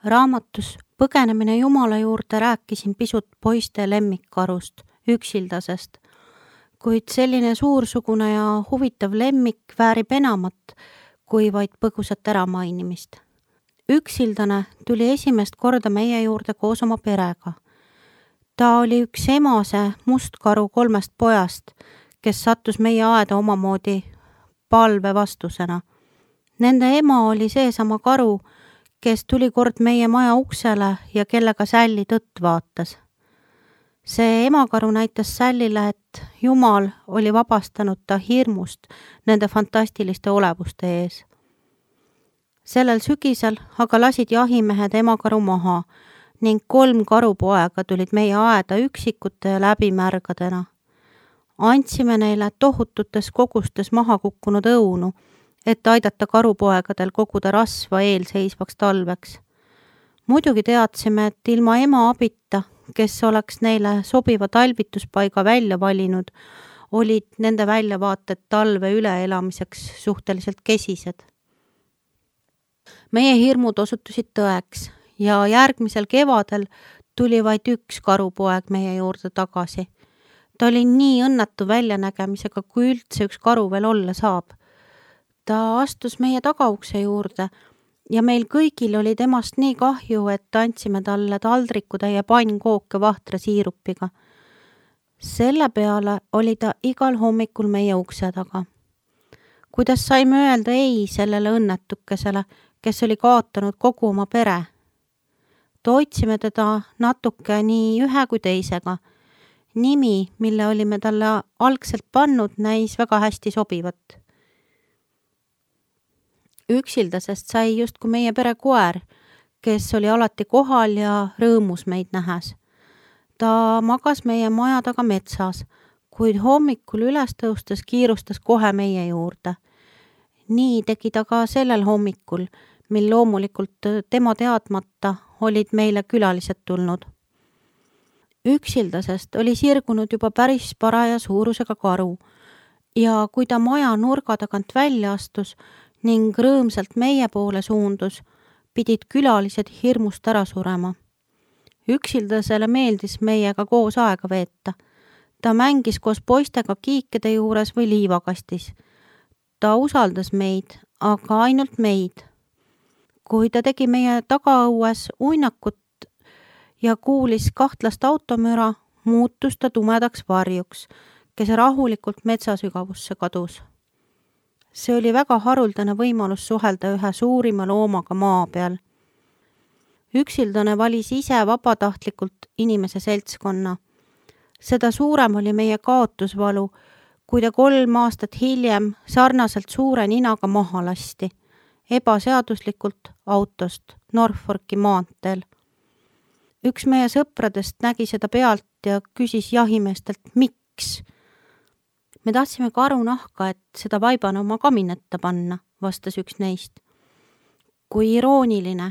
Raamatus Põgenemine Jumala juurde rääkisin pisut poiste lemmikkarust, üksildasest, kuid selline suursugune ja huvitav lemmik väärib enamat kui vaid põgusat äramainimist. Üksildane tuli esimest korda meie juurde koos oma perega. Ta oli üks emase mustkaru 3 pojast, kes sattus meie aeda omamoodi palve vastusena. Nende ema oli seesama karu, kes tuli kord meie maja uksele ja kellega Sälli tõtt vaatas. See emakaru näitas Sällile, et Jumal oli vabastanud ta hirmust nende fantastiliste olevuste ees. Sellel sügisel aga lasid jahimehed emakaru maha ning 3 karupoega tulid meie aeda üksikute ja läbimärgadena. Andsime neile tohututes kogustes maha kukkunud õunu, et aidata karupoegadel koguda rasva eelseisvaks talveks. Muidugi teadsime, et ilma ema abita, kes oleks neile sobiva talvituspaiga välja valinud, olid nende väljavaated talve üleelamiseks suhteliselt kesised. Meie hirmud osutusid tõeks ja järgmisel kevadel tuli vaid 1 karupoeg meie juurde tagasi. Ta oli nii õnnetu väljanägemisega, kui üldse üks karu veel olla saab. Ta astus meie tagaukse juurde ja meil kõigil oli temast nii kahju, et andsime talle taldrikutäie pannkooke vahtra siirupiga. Selle peale oli ta igal hommikul meie ukse taga. Kuidas saime öelda ei sellele õnnetukesele, kes oli kaotanud kogu oma pere? Toitsime teda natuke nii ühe kui teisega. Nimi, mille olime talle algselt pannud, näis väga hästi sobivat. Üksildasest sai justkui meie pere koer, kes oli alati kohal ja rõõmus meid nähes. Ta magas meie maja taga metsas, kuid hommikul üles tõustes kiirustas kohe meie juurde. Nii tegi ta ka sellel hommikul, mil loomulikult tema teadmata olid meile külalised tulnud. Üksildasest oli sirgunud juba päris paraja suurusega karu ja kui ta maja nurga tagant välja astus ning rõõmsalt meie poole suundus, pidid külalised hirmust ära surema. Üksildasele meeldis meiega koos aega veeta. Ta mängis koos poistega kiikede juures või liivakastis. Ta usaldas meid, aga ainult meid. Kui ta tegi meie tagaõues uinakut ja kuulis kahtlast automüra, muutus ta tumedaks varjuks, kes rahulikult metsasügavusse kadus. See oli väga haruldane võimalus suhelda ühe suurima loomaga maa peal. Üksildane valis ise vabatahtlikult inimese seltskonna. Seda suurem oli meie kaotusvalu, kui ta 3 aastat hiljem sarnaselt suure ninaga maha lasti, ebaseaduslikult autost Norfolki maanteel. Üks meie sõpradest nägi seda pealt ja küsis jahimeestelt, miks? Me tahtsime karu nahka, et seda vaibana oma kaminetta panna, vastas üks neist. Kui irooniline.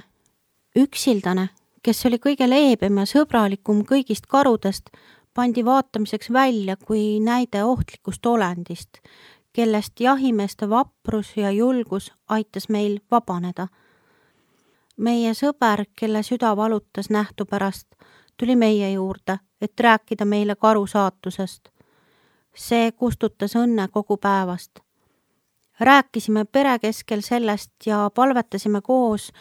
Üksildane, kes oli kõige leebem ja sõbralikum kõigist karudest, pandi vaatamiseks välja kui näide ohtlikust olendist, kellest jahimeeste vaprus ja julgus aitas meil vabaneda. Meie sõber, kelle süda valutas nähtu pärast, tuli meie juurde, et rääkida meile karu saatusest. See kustutas õnne kogu päevast. Rääkisime pere keskel sellest ja palvetasime koos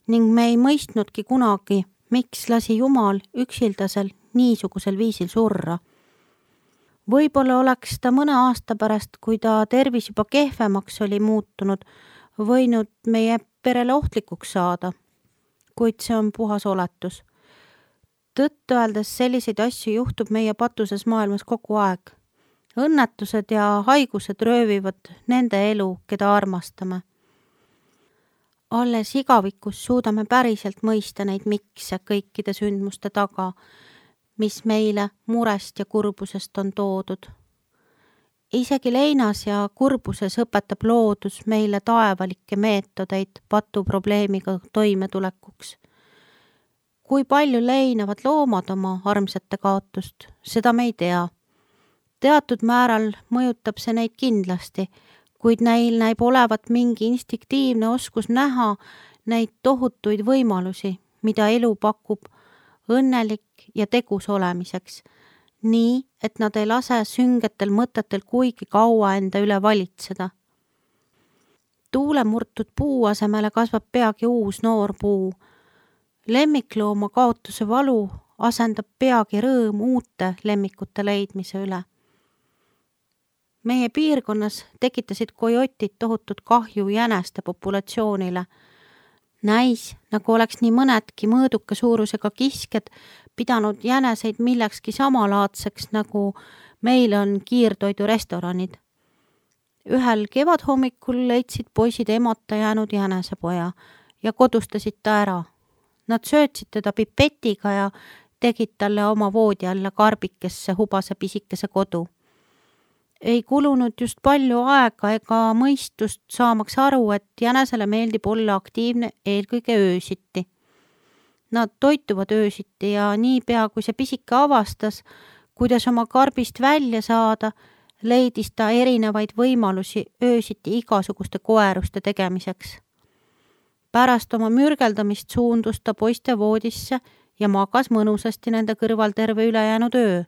ning me ei mõistnudki kunagi, miks lasi Jumal üksildasel niisugusel viisil surra. Võib-olla oleks ta mõne aasta pärast, kui ta tervis juba kehvemaks oli muutunud, võinud meie perele ohtlikuks saada, kuid see on puhas oletus. Tõtt öeldes selliseid asju juhtub meie patuses maailmas kogu aeg. Õnnetused ja haigused röövivad nende elu, keda armastame. Alles igavikus suudame päriselt mõista neid mikse kõikide sündmuste taga, mis meile murest ja kurbusest on toodud. Isegi leinas ja kurbuses õpetab loodus meile taevalikke meetodeid patuprobleemiga toimetulekuks. Kui palju leinavad loomad oma armsate kaotust, seda me ei tea. Teatud määral mõjutab see neid kindlasti, kuid neil näib olevat mingi instinktiivne oskus näha neid tohutuid võimalusi, mida elu pakub, õnnelik ja tegus olemiseks, nii et nad ei lase süngetel mõtetel kuigi kaua enda üle valitseda. Tuulemurtud puu asemele kasvab peagi uus noor puu. Lemmiklooma kaotuse valu asendab peagi rõõm uute lemmikute leidmise üle. Meie piirkonnas tekitasid kojotid tohutut kahju jäneste populatsioonile. Näis, nagu oleks nii mõnedki mõõduka suurusega kisked pidanud jäneseid millekski samalaadseks, nagu meil on kiirtoidurestoranid. Ühel kevadhommikul leidsid poisid emata jäänud jänesepoja ja kodustasid ta ära. Nad söötsid teda pipetiga ja tegid talle oma voodi alla karbikesse hubase pisikese kodu. Ei kulunud just palju aega ega mõistust saamaks aru, et jänesele meeldib olla aktiivne eelkõige öösiti. Nad toituvad öösiti ja niipea, kui see pisike avastas, kuidas oma karbist välja saada, leidis ta erinevaid võimalusi öösiti igasuguste koeruste tegemiseks. Pärast oma mürgeldamist suundus ta poiste voodisse ja magas mõnusasti nende kõrval terve ülejäänud öö.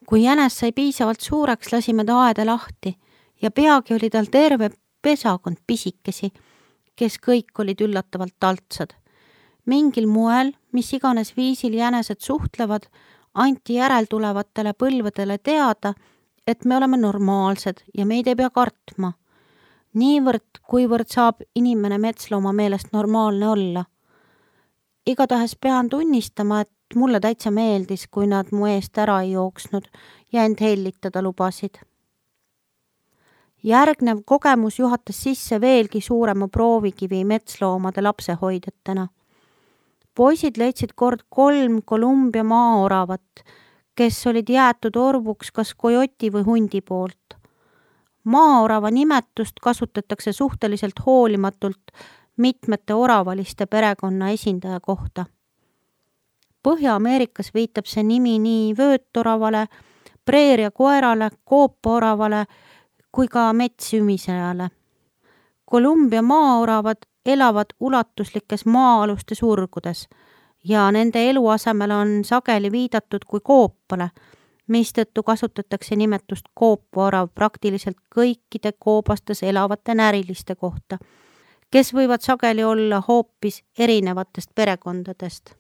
Kui jänes sai piisavalt suureks, lasime ta aeda lahti ja peagi oli tal terve pesakond pisikesi, kes kõik olid üllatavalt taltsad. Mingil moel, mis iganes viisil jänesed suhtlevad, anti järeltulevatele põlvedele teada, et me oleme normaalsed ja meid ei pea kartma. Niivõrd, kuivõrd saab inimene metslooma meelest normaalne olla. Igatahes pean tunnistama, et mulle täitsa meeldis, kui nad mu eest ära ei jooksnud ja end hellitada lubasid. Järgnev kogemus juhatas sisse veelgi suurema proovikivi metsloomade lapsehoidjatena. Poisid leidsid kord 3 Kolumbia maaoravat, kes olid jäetud orvuks kas kojoti või hundi poolt. Maaorava nimetust kasutatakse suhteliselt hoolimatult mitmete oravaliste perekonna esindaja kohta. Põhja-Ameerikas viitab see nimi nii vöötoravale, preeria koerale, koopaoravale kui ka metssümisejale. Kolumbia maaoravad elavad ulatuslikes maa-aluste surgudes ja nende eluasemel on sageli viidatud kui koopale, mistõttu kasutatakse nimetust koopaorav praktiliselt kõikide koobastes elavate näriliste kohta, kes võivad sageli olla hoopis erinevatest perekondadest.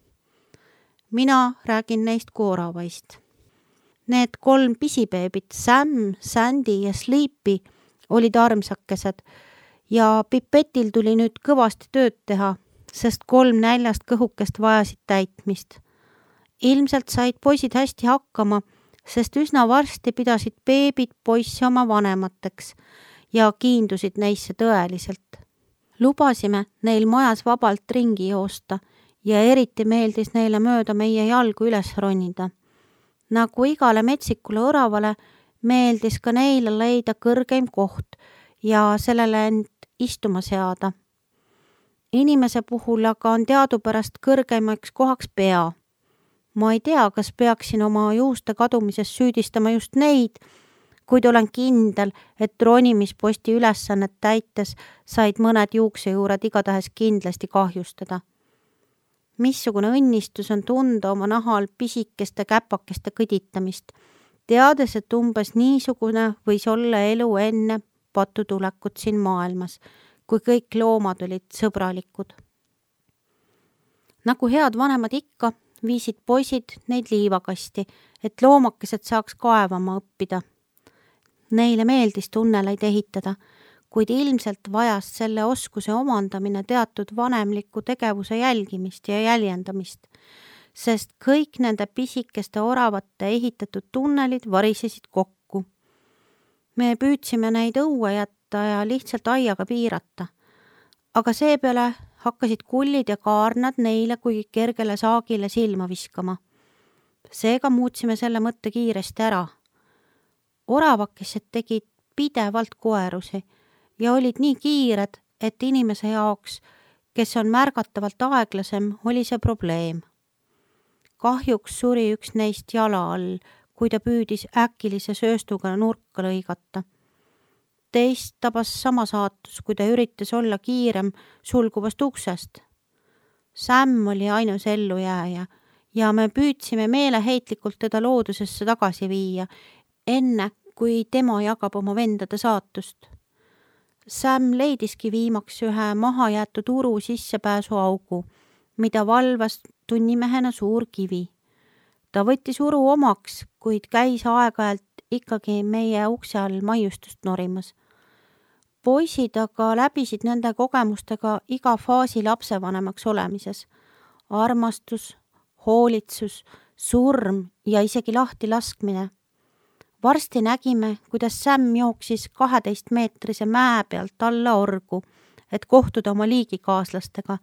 Mina räägin neist kui oravaist. Need 3 pisibeebit, Sam, Sandy ja Sleepy, olid armsakesed ja Pipetil tuli nüüd kõvasti tööd teha, sest 3 näljast kõhukest vajasid täitmist. Ilmselt said poisid hästi hakkama, sest üsna varsti pidasid beebid poisse oma vanemateks ja kiindusid neisse tõeliselt. Lubasime neil majas vabalt ringi joosta ja eriti meeldis neile mööda meie jalgu üles ronida. Nagu igale metsikule oravale meeldis ka neile leida kõrgeim koht ja sellele end istuma seada. Inimese puhul aga on teadupärast kõrgeimaks kohaks pea. Ma ei tea, kas peaksin oma juuste kadumises süüdistama just neid, kuid olen kindel, et ronimisposti ülesannet täites said mõned juuksejuured igatahes kindlasti kahjustada. Missugune õnnistus on tunda oma nahal pisikeste käpakeste kõditamist, teades, et umbes niisugune võis olla elu enne patutulekut siin maailmas, kui kõik loomad olid sõbralikud. Nagu head vanemad ikka, viisid poisid neid liivakasti, et loomakesed saaks kaevama õppida. Neile meeldis tunneleid ehitada, kuid ilmselt vajas selle oskuse omandamine teatud vanemliku tegevuse jälgimist ja jäljendamist, sest kõik nende pisikeste oravate ehitatud tunnelid varisesid kokku. Me püüdsime neid õue jätta ja lihtsalt aiaga piirata, aga seepeale hakkasid kullid ja kaarnad neile kui kergele saagile silma viskama. Seega muutsime selle mõtte kiiresti ära. Oravakesed tegid pidevalt koerusi ja olid nii kiired, et inimese jaoks, kes on märgatavalt aeglasem, oli see probleem. Kahjuks suri üks neist jala all, kui ta püüdis äkilise sööstuga nurka lõigata. Teist tabas sama saatus, kui ta üritas olla kiirem sulguvast uksest. Sam oli ainus ellujääja ja me püüdsime meeleheitlikult teda loodusesse tagasi viia, enne kui tema jagab oma vendade saatust. Sam leidiski viimaks ühe mahajäetud uru sissepääsuaugu, mida valvas tunnimehena suur kivi. Ta võttis uru omaks, kuid käis aeg-ajalt ikkagi meie ukse all maiustust norimas. Poisid aga läbisid nende kogemustega iga faasi lapsevanemaks olemises. Armastus, hoolitsus, surm ja isegi lahti laskmine. Varsti nägime, kuidas Sam jooksis 12-meetrise mäe pealt alla orgu, et kohtuda oma liigikaaslastega.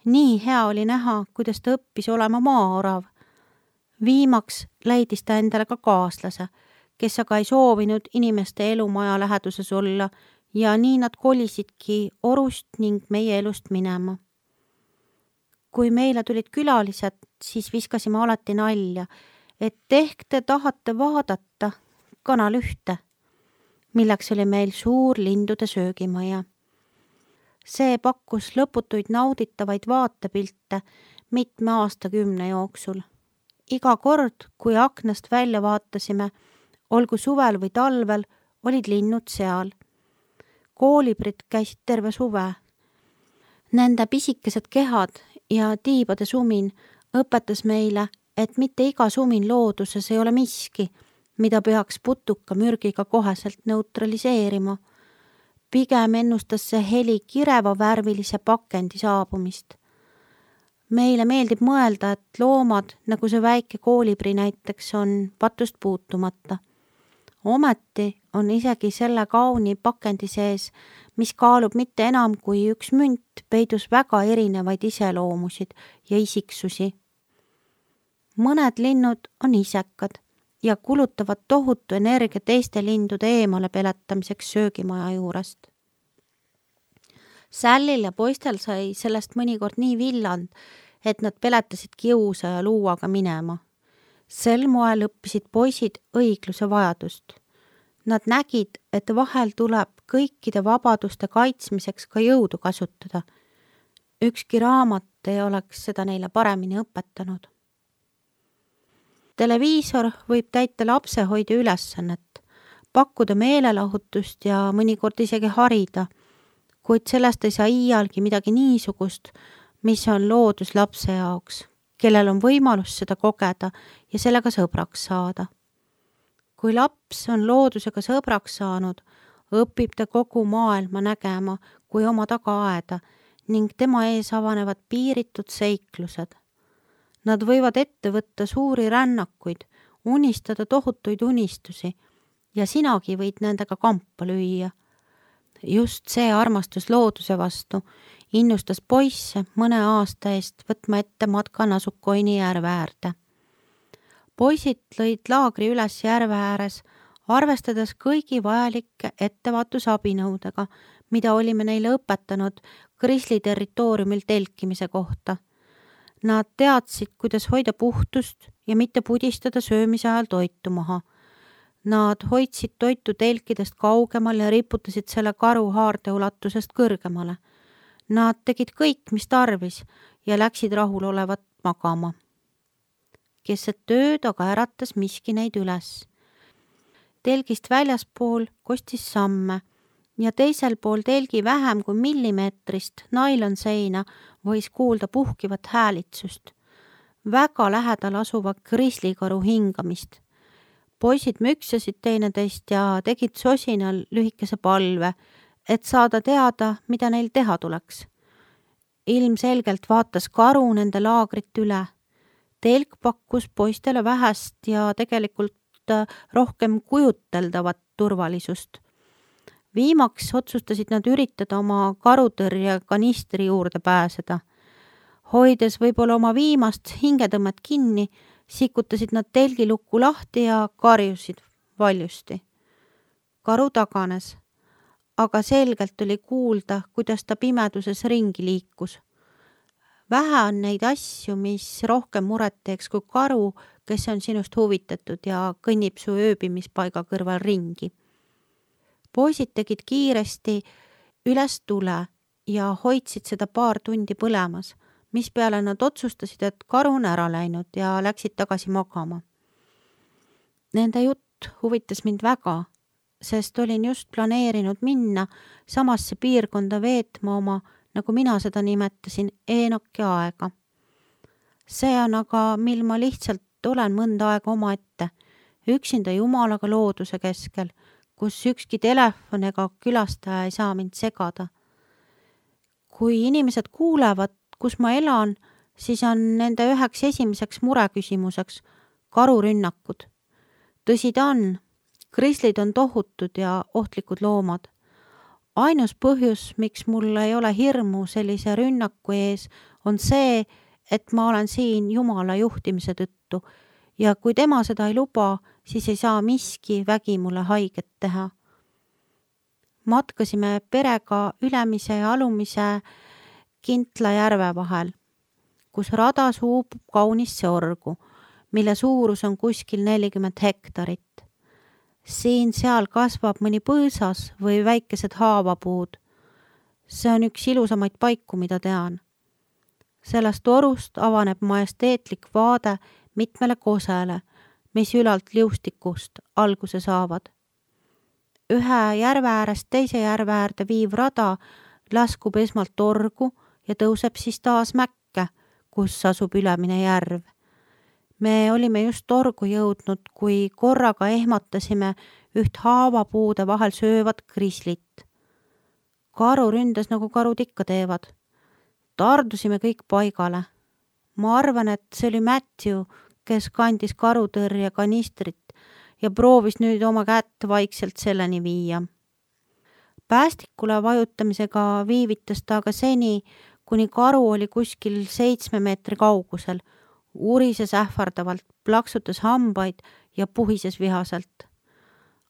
Nii hea oli näha, kuidas ta õppis olema maaorav. Viimaks leidis ta endale ka kaaslase, kes aga ei soovinud inimeste elumaja läheduses olla ja nii nad kolisidki orust ning meie elust minema. Kui meile tulid külalised, siis viskasime alati nalja, et ehk te tahate vaadata Kanal 1, milleks oli meil suur lindude söögimaja. See pakkus lõputuid nauditavaid vaatepilte mitme aastakümne jooksul. Iga kord, kui aknast välja vaatasime, olgu suvel või talvel, olid linnud seal. Koolibrid käisid terve suve. Nende pisikesed kehad ja tiibade sumin õpetas meile, et mitte iga sumin looduses ei ole miski, mida peaks putuka mürgiga koheselt neutraliseerima. Pigem ennustas see heli kireva värvilise pakendi saabumist. Meile meeldib mõelda, et loomad, nagu see väike koolibri näiteks, on patust puutumata. Ometi on isegi selle kauni pakendi sees, mis kaalub mitte enam kui üks münt, peidus väga erinevaid iseloomusid ja isiksusi. Mõned linnud on isekad ja kulutavad tohutu energia teiste lindude eemale peletamiseks söögimaja juurest. Sallil ja poistel sai sellest mõnikord nii villand, et nad peletasid kiusa ja luuaga minema. Sel moel õppisid poisid õigluse vajadust. Nad nägid, et vahel tuleb kõikide vabaduste kaitsmiseks ka jõudu kasutada. Ükski raamat ei oleks seda neile paremini õpetanud. Televiisor võib täita lapsehoidja ülesannet, pakkuda meelelahutust ja mõnikord isegi harida, kuid sellest ei saa iialgi midagi niisugust, mis on loodus lapse jaoks, kellel on võimalus seda kogeda ja sellega sõbraks saada. Kui laps on loodusega sõbraks saanud, õpib ta kogu maailma nägema kui oma tagaaeda ning tema ees avanevad piiritud seiklused. Nad võivad ette võtta suuri rännakuid, unistada tohutuid unistusi ja sinagi võid nendega kampa lüüa. Just see armastus looduse vastu innustas poisse mõne aasta eest võtma ette matka Nasukoini järve äärde. Poisid lõid laagri üles järve ääres, arvestades kõigi vajalike ettevaatusabinõudega, mida olime neile õpetanud Grizzly territooriumil telkimise kohta. Nad teadsid, kuidas hoida puhtust ja mitte pudistada söömise ajal toitu maha. Nad hoidsid toitu telkidest kaugemal ja riputasid selle karu haarde ulatusest kõrgemale. Nad tegid kõik, mis tarvis ja läksid rahulolevat magama. Keset tööd aga äratas miski neid üles. Telgist väljaspool kostis samme ja teisel pool telgi vähem kui millimeetrist nailonseina võis kuulda puhkivat häälitsust. Väga lähedal asuva grizzlykaru hingamist. Poisid müksasid teineteist ja tegid sosinal lühikese palve, et saada teada, mida neil teha tuleks. Ilmselgelt vaatas karu nende laagrit üle. Telk pakkus poistele vähest ja tegelikult rohkem kujuteldavat turvalisust. Viimaks otsustasid nad üritada oma karutõrje kanistri juurde pääseda. Hoides võib-olla oma viimast hingetõmmet kinni, sikutasid nad telgilukku lahti ja karjusid valjusti. Karu taganes, aga selgelt oli kuulda, kuidas ta pimeduses ringi liikus. Vähe on neid asju, mis rohkem muret teeks kui karu, kes on sinust huvitatud ja kõnnib su ööbimispaiga kõrval ringi. Poisid tegid kiiresti üles tule ja hoidsid seda paar tundi põlemas, mispeale nad otsustasid, et karu on ära läinud ja läksid tagasi magama. Nende jutt huvitas mind väga, sest olin just planeerinud minna samasse piirkonda veetma oma, nagu mina seda nimetasin, Eenoki aega. See on aga, mil ma lihtsalt olen mõnda aega omaette, üksinda Jumalaga looduse keskel, kus ükski telefon ega külastaja ei saa mind segada. Kui inimesed kuulevad, kus ma elan, siis on nende üheks esimeseks mureküsimuseks karurünnakud. Tõsi ta on, grislid on tohutud ja ohtlikud loomad. Ainus põhjus, miks mul ei ole hirmu sellise rünnaku ees, on see, et ma olen siin Jumala juhtimise tõttu ja kui tema seda ei luba, siis ei saa miski vägi mulle haiget teha. Matkasime perega Ülemise ja Alumise Kintla järve vahel, kus radas huubub kaunis orgu, mille suurus on kuskil 40 hektarit. Siin-seal kasvab mõni põõsas või väikesed haavapuud. See on üks ilusamaid paiku, mida tean. Sellest orust avaneb majesteetlik vaade mitmele kosele, mis ülalt liustikust alguse saavad. Ühe järve äärest teise järve äärde viiv rada laskub esmalt orgu ja tõuseb siis taas mäkke, kus asub Ülemine järv. Me olime just orgu jõudnud, kui korraga ehmatasime üht haavapuude vahel söövat grislit. Karu ründas, nagu karud ikka teevad. Tardusime kõik paigale. Ma arvan, et see oli Matthew, kes kandis karutõrje kanistrit ja proovis nüüd oma kätt vaikselt selleni viia. Päästikule vajutamisega viivitas ta aga seni, kuni karu oli kuskil 7 meetri kaugusel, urises ähvardavalt, plaksutas hambaid ja puhises vihaselt.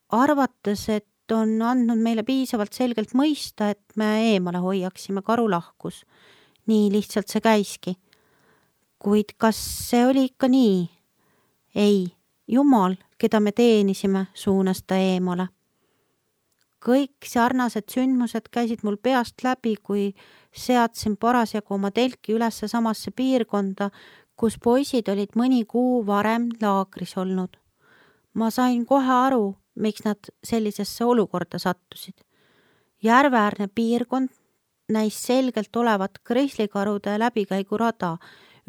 Arvates, et on andnud meile piisavalt selgelt mõista, et me eemale hoiaksime, karu lahkus. Nii lihtsalt see käiski. Kuid kas see oli ikka nii? Ei, Jumal, keda me teenisime, suunas ta eemale. Kõik sarnased sündmused käisid mul peast läbi, kui seadsin parasjagu oma telki ülesse samasse piirkonda, kus poisid olid mõni kuu varem laagris olnud. Ma sain kohe aru, miks nad sellisesse olukorda sattusid. Järveäärne piirkond näis selgelt olevat grislikarude läbikäigurada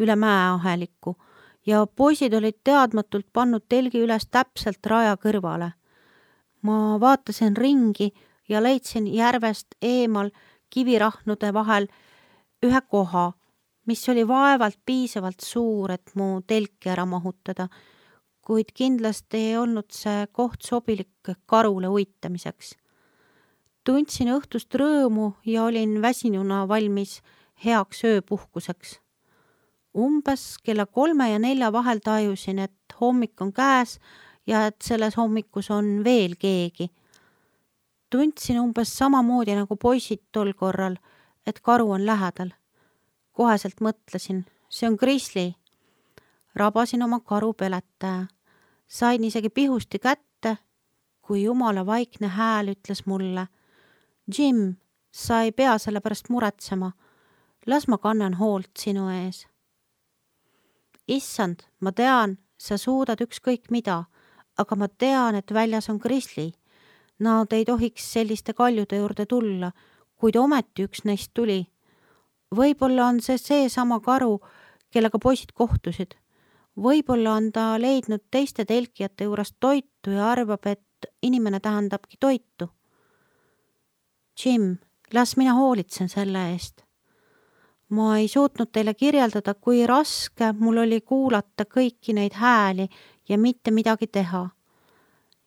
üle mäeahelikku ja poisid olid teadmatult pannud telgi üles täpselt raja kõrvale. Ma vaatasin ringi ja leidsin järvest eemal kivirahnude vahel ühe koha, mis oli vaevalt piisavalt suur, et mu telki ära mahutada, kuid kindlasti ei olnud see koht sobilik karule uitamiseks. Tundsin õhtust rõõmu ja olin väsinuna valmis heaks ööpuhkuseks. Umbes kella 3 ja 4 vahel tajusin, et hommik on käes ja et selles hommikus on veel keegi. Tundsin umbes samamoodi nagu poisid tol korral, et karu on lähedal. Koheselt mõtlesin, see on grisli. Rabasin oma karu peletaja. Sain isegi pihusti kätte, kui Jumala vaikne hääl ütles mulle: Jim, sa ei pea selle pärast muretsema. Las ma kannan hoolt sinu ees. Issand, ma tean, sa suudad ükskõik mida, aga ma tean, et väljas on grisli. Nad ei tohiks selliste kaljude juurde tulla, kuid ometi üks neist tuli. Võib-olla on see sama karu, kellega poisid kohtusid. Võib-olla on ta leidnud teiste telkijate juurest toitu ja arvab, et inimene tähendabki toitu. Jim, las mina hoolitsen selle eest. Ma ei suutnud teile kirjeldada, kui raske mul oli kuulata kõiki neid hääli ja mitte midagi teha.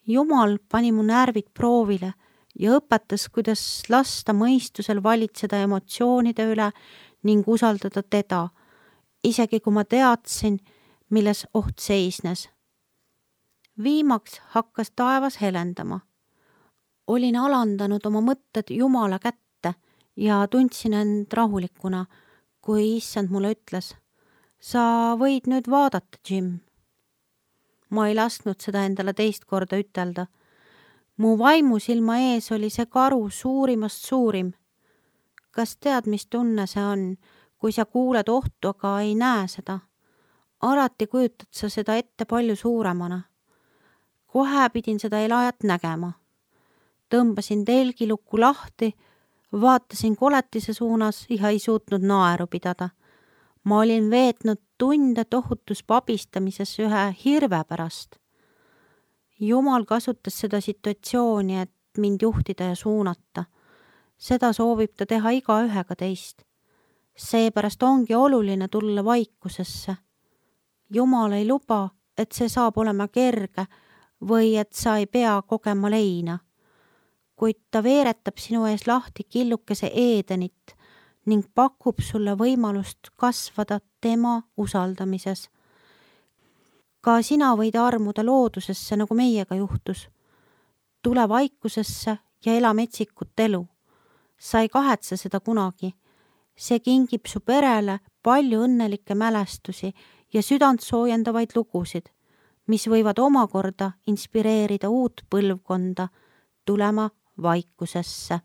Jumal pani mu närvid proovile ja õpetas, kuidas lasta mõistusel valitseda emotsioonide üle ning usaldada teda, isegi kui ma teadsin, milles oht seisnes. Viimaks hakkas taevas helendama. Olin alandanud oma mõtted Jumala kätte ja tundsin end rahulikuna, kui issand mulle ütles: sa võid nüüd vaadata, Jim. Ma ei lasknud seda endale teist korda ütelda. Mu vaimusilma ees oli see karu suurimast suurim. Kas tead, mis tunne see on, kui sa kuuled ohtu, aga ei näe seda. Alati kujutad sa seda ette palju suuremana. Kohe pidin seda elajat nägema. Tõmbasin telgilukku lahti, vaatasin koletise suunas ja ei suutnud naeru pidada. Ma olin veetnud tunde tohutus pabistamises ühe hirve pärast. Jumal kasutas seda situatsiooni, et mind juhtida ja suunata. Seda soovib ta teha igaühega teist. Seepärast ongi oluline tulla vaikusesse. Jumal ei luba, et see saab olema kerge või et sa ei pea kogema leina. Kuid ta veeretab sinu ees lahti killukese Edenit ning pakub sulle võimalust kasvada tema usaldamises. Ka sina võid armuda loodusesse, nagu meiega juhtus. Tule vaikusesse ja ela metsikut elu. Sa ei kahetse seda kunagi. See kingib su perele palju õnnelikke mälestusi ja südant soojendavaid lugusid, mis võivad omakorda inspireerida uut põlvkonda tulema vaikusesse.